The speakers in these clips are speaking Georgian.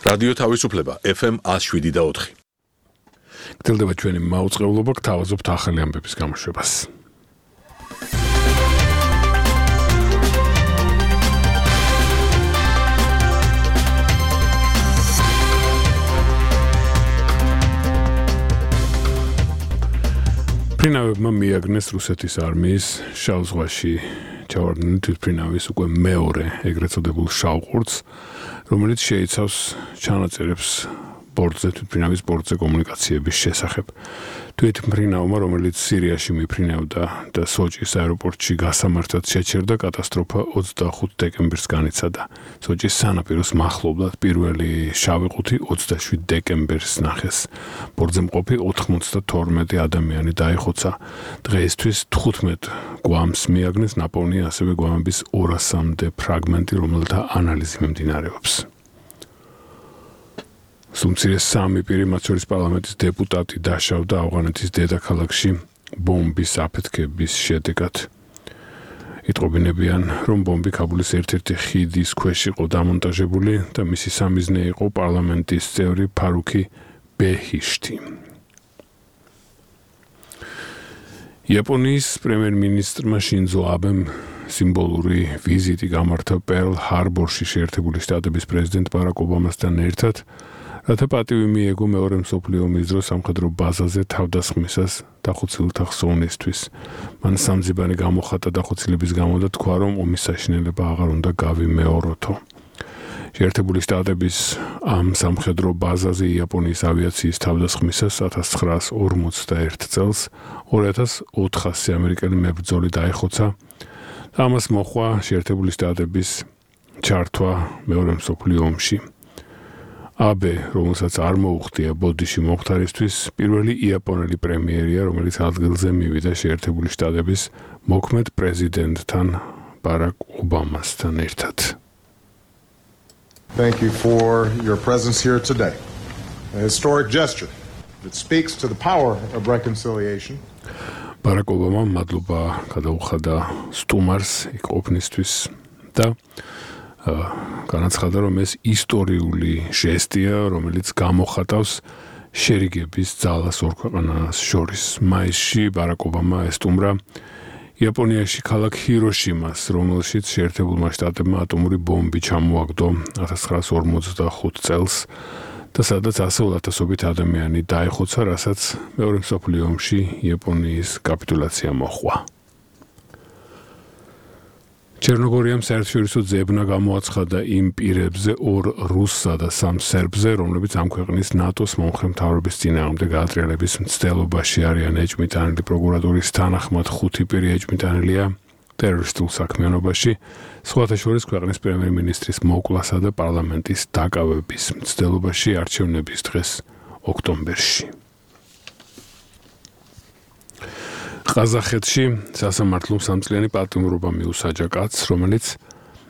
რადიო თავისუფლება FM 107.4. გრძელდება ჩვენი მაუწყებლობა, გთავაზობთ ახალი ამბების გამოშვებას. ფრინავებმა მიაგნეს რუსეთის არმიის შავ ზღვაში ჩავარდნილი თვითმფრინავის უკვე მეორე ეგრეთ წოდებულ შავ ყურწს, რომელიც შეიცავს ჩანაწერებს ბორტზე, თვითმფრინავის ბორტზე კომუნიკაციების შესახებ. თვითმფრინავმა, რომელიც სირიაში მიფრინავდა და სოჭის აეროპორტში გასამართად შეჩერდა, კატასტროფა 25 დეკემბერს განიცადა. სოჭის სანაპიროს მახლობლად პირველი შავი ყუთი 27 დეკემბერს ნახეს. ბორტზე მყოფი 92 ადამიანი დაიხოცა. დღეისთვის 15 გვამს მიაგნეს, ნაპოვნია ასევე გვამების 200-მდე ფრაგმენტი, რომელთა ანალიზი მიმდინარეობს. სუმცირეს 3 პირი, მათ შორის პარლამენტის დეპუტატი დაშავდა ავღანეთის დედაქალაქში ბომბის აფეთქების შედეგად. იტყობინებიან, რომ ბომბი ქაბულის ერთ-ერთი ხიდის ქვეშ იყო დამონტაჟებული და მისი სამიზნე იყო პარლამენტის წევრი ფარუქი ბეჰიშტი. იაპონიის პრემიერ-მინისტრმა შინძო აბემ სიმბოლური ვიზიტი გამართა პერლ ჰარბორში შეერთებული შტატების პრეზიდენტ ბარაკ ობამასთან ერთად, რათა პატივი მიეგო მეორე მსოფლიო ომის დროს სამხედრო ბაზაზე თავდასხმისას დახოცილთა ხსოვნისთვის. მან სამძებანი გამოხატა დახოცილების გამო და თქვა, რომ ომის საშინელება აღარ უნდა გავიმეოროთო. შეერთებული შტატების ამ სამხედრო ბაზაზე იაპონიის ავიაციის თავდასხმისას 1941 წელს 2400 ამერიკელი მებრძოლი დაიხოცა და ამას მოჰყვა შეერთებული შტატების ჩართვა მეორე მსოფლიო ომში. აბე, რომელსაც არ მოუხდია ბოდიში მომხდარისთვის, პირველი იაპონელი პრემიერია, რომელიც ადგილზე მივიდა შეერთებული შტატების მოქმედ პრეზიდენტთან ბარაკ ობამასთან ერთად. Thank you for your presence here today. A historic gesture that speaks to the power of reconciliation. ბარაკ ობამა მადლობა გადაუხადა სტუმარს იქ ყოფნისთვის და განაცხადა, რომ ეს ისტორიული ჟესტია, რომელიც გამოხატავს შერიგების ძალას ორ ქვეყანას შორის. მაისში ბარაკ ობამა ესტუმრა იაპონიაში ქალაქ ჰიროშიმას, რომელშიც შეერთებულმა შტატებმა ატომური ბომბი ჩამოაგდო 1945 წელს და სადაც ასეულათასობით ადამიანი დაიხოცა, რასაც მეორე მსოფლიო ომში იაპონიის კაპიტულაცია მოჰყვა. ჩერნოგორიამ საერთაშორისო ძებნა გამოაცხადა იმ პირებზე 2 რუსსა და 3 სერბზე, რომლებიც ამ ქვეყნის ნატოს მომხრე მთავრობის წინააღმდეგ გაატრიალების მცდელობაში არიან ეჭვმიტანილი. პროკურატურის თანახმად 5 პირი ეჭვმიტანილია ტერორისტულ საქმიანობაში, სხვათა შორის ქვეყნის პრემიერ-მინისტრის მოკლასა და პარლამენტის დაკავების მცდელობაში არჩევნების დღეს ოქტომბერში. ყაზახეთში სასამართლომ 3-წლიანი პატიმრობა მიუსაჯა კაცს,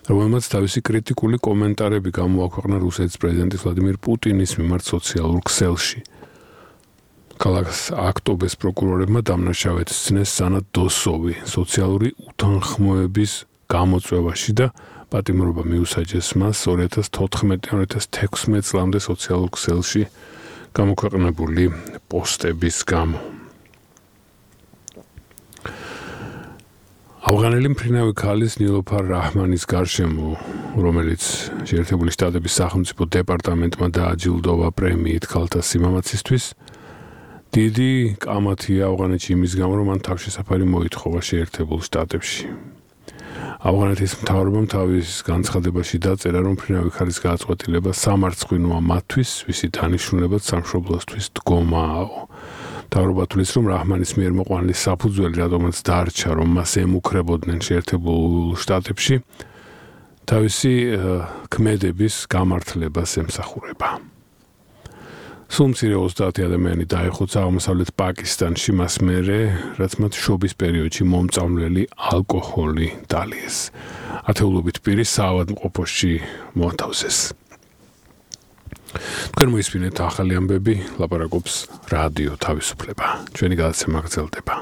რომელმაც თავისი კრიტიკული კომენტარები გამოაქვეყნა რუსეთის პრეზიდენტის ვლადიმირ პუტინის მიმართ სოციალურ ქსელში. ქალაქ აქტობეს პროკურორებმა დამნაშავედ სცნეს სანად დოსოვი სოციალური უთანხმოების გამოწვევაში და პატიმრობა მიუსაჯეს მას 2014-2016 წლამდე სოციალურ ქსელში გამოქვეყნებული პოსტების გამო. ავღანელი მფრინავი ქალის ნილოფარ რაჰმანის გარშემო, რომელიც შეერთებული შტატების სახელმწიფო დეპარტამენტმა დააჯილდოვა პრემიით ქალთა სიმამაცისთვის, დიდი კამათია ავღანეთში იმის გამო, რომ მან თავშესაფარი მოითხოვა შეერთებულ შტატებში. ავღანეთის მთავრობამ თავის განცხადებაში დაწერა, რომ მფრინავი ქალის გადაწყვეტილება სამარცხვინოა მათთვის, ვისი დანიშნულებაც სამშობლოსთვის დგომააო. მთავრობა თვლის, რომ რაჰმანის მიერ მოყვანილი საფუძველი, რადგანაც დარჩა, რომ მას ემუქრებოდნენ შეერთებულ შტატებში, თავისი ქმედების გამართლებას ემსახურება. სულ მცირე 30 ადამიანი დაიხოცა აღმოსავლეთ პაკისტანში მას მერე, რაც მათ შობის პერიოდში მომწამლელი ალკოჰოლი დალიეს. ათეულობით პირი საავადმყოფოში მოათავსეს. თქვენ მოისმინეთ ახალი ამბები, ლაპარაკობს რადიო თავისუფლება. ჩვენი გადაცემა გრძელდება.